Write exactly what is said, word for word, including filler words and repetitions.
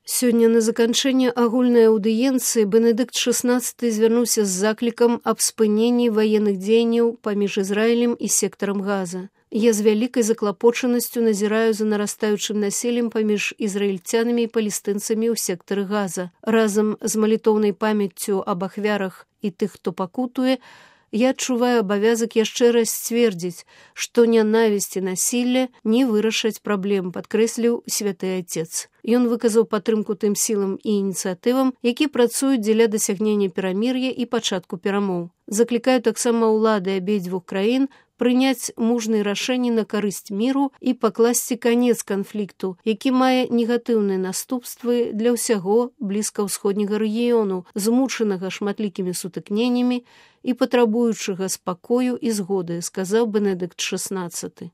Сёння на заканчэнне агульнай аўдыенцыі Бенедыкт шаснаццаты звярнуўся з заклікам аб спыненні ваенных дзеянняў паміж Ізраілем і сектарам Газа. Я з вялікай заклапочанасцю назіраю за нарастаючым насіллем паміж ізраільцянамі і палестынцамі ў сектары Газа. Разам з малітоўнай памяццю аб ахвярах і тых, хто пакутуе, я адчуваю абавязак яшчэ раз сцвердзіць, што нянавісць і насілле не вырашаць праблем, падкрэсліў святы Отец. Ён выказаў падтрымку тым сілам і ініцыятывам, які працуюць дзеля дасягнення перамір'я і пачатку перамоў. Заклікаю таксама ўлады абедзвюх краін прыняць мужныя рашэнні на карысць міру і пакласці канец канфлікту, які мае негатыўныя наступствы для ўсяго блізкаўсходняга рэгіёну, змучанага шматлікімі сутыкненнямі і патрабуючага спакою і згоды, сказаў Бенедыкт шаснаццаты.